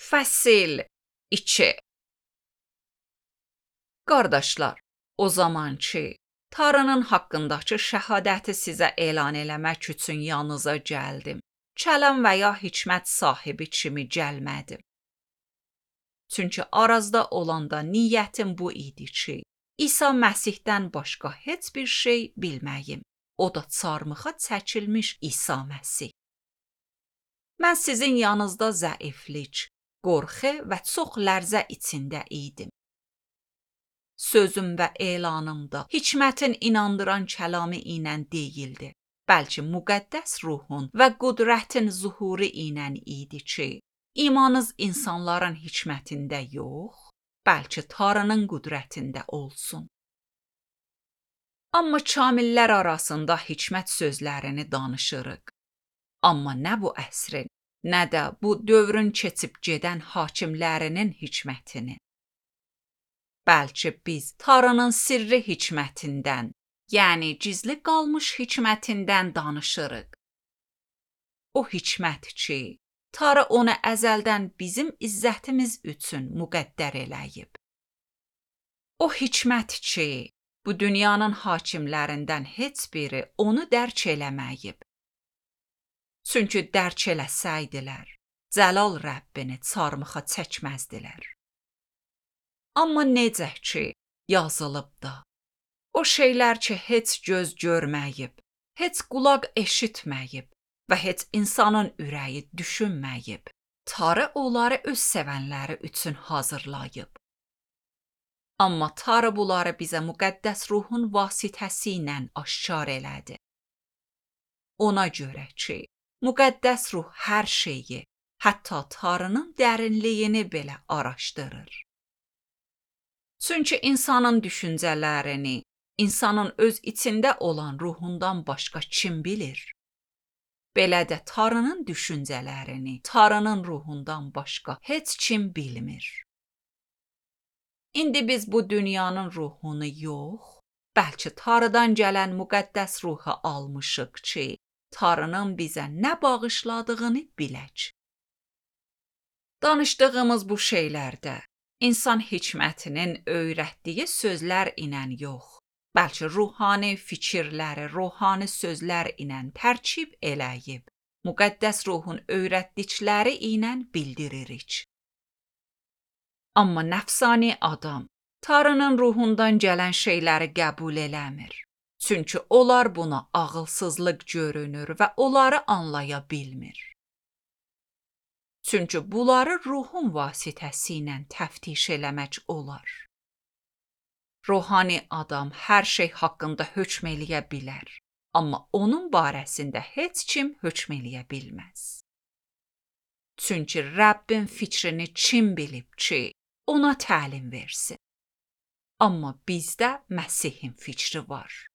Fəsil 2. Qardaşlar, o zaman ki, Tanrının haqqındakı şəhadəti sizə elan eləmək üçün yanınıza gəldim. Kələm və ya hikmət sahibi kimi gəlmədim. Çünki Arazda olanda niyyətim bu idi ki, İsa Məsihdən başqa heç bir şey bilməyim. O da çarmıxa çəkilmiş İsa Məsih. Mən sizin yanınızda zəiflik, qorxu və çox lərzə içində idim. Sözüm və elanımda hikmətin inandıran kəlamı ilə deyildi. Bəlkə müqəddəs ruhun və qüdrətin zuhuru ilə idi ki, imanınız insanların hikmətində yox, bəlkə Tanrının qüdrətində olsun. Amma kamillər arasında hikmət sözlərini danışırıq. Amma nə bu əsrin, nə də bu dövrün keçib gedən hakimlərinin hikmətini. Bəlkə biz Tanrının sirri hikmətindən, yəni gizli qalmış hikmətindən danışırıq. O hikmət ki, Tanrı onu əzəldən bizim izzətimiz üçün müqəddər eləyib. O hikmət ki, bu dünyanın hakimlərindən heç biri onu dərk eləməyib. Çünki dərk eləsəydilər, Cəlal Rəbbini çarmıxa çəkməzdilər. Amma necə ki, yazılıb da, o şeylər ki, heç göz görməyib, heç qulaq eşitməyib və heç insanın ürəyi düşünməyib, Tanrı onları öz sevənləri üçün hazırlayıb. Amma Tanrı bunları bizə müqəddəs ruhun vasitəsi ilə aşkar elədi. Ona görə ki, müqəddəs ruh hər şeyi, hətta Tanrının dərinliyini belə araşdırır. Çünki insanın düşüncələrini, insanın öz içində olan ruhundan başqa kim bilir? Belə də Tanrının düşüncələrini, Tanrının ruhundan başqa heç kim bilmir. İndi biz bu dünyanın ruhunu yox, bəlkə Tanrıdan gələn müqəddəs ruhu almışıq ki, Tanrının bizə nə bağışladığını bilək. Danışdığımız bu şeylərdə insan hikmətinin öyrətdiyi sözlər ilə yox, bəlkə ruhani fikirləri, ruhani sözlər ilə tərkib eləyib, müqəddəs ruhun öyrətdikləri ilə bildiririk. Amma nəfsani adam Tanrının ruhundan gələn şeyləri qəbul eləmir. Çünki onlar buna ağılsızlıq görünür və onları anlaya bilmir. Çünki bunları ruhun vasitəsi ilə təftiş eləmək olar. Ruhani adam hər şey haqqında hökm eləyə bilər, amma onun barəsində heç kim hökm eləyə bilməz. Çünki Rəbbin fikrini kim bilib ki, ona təlim versin? Amma bizdə Məsihin fikri var.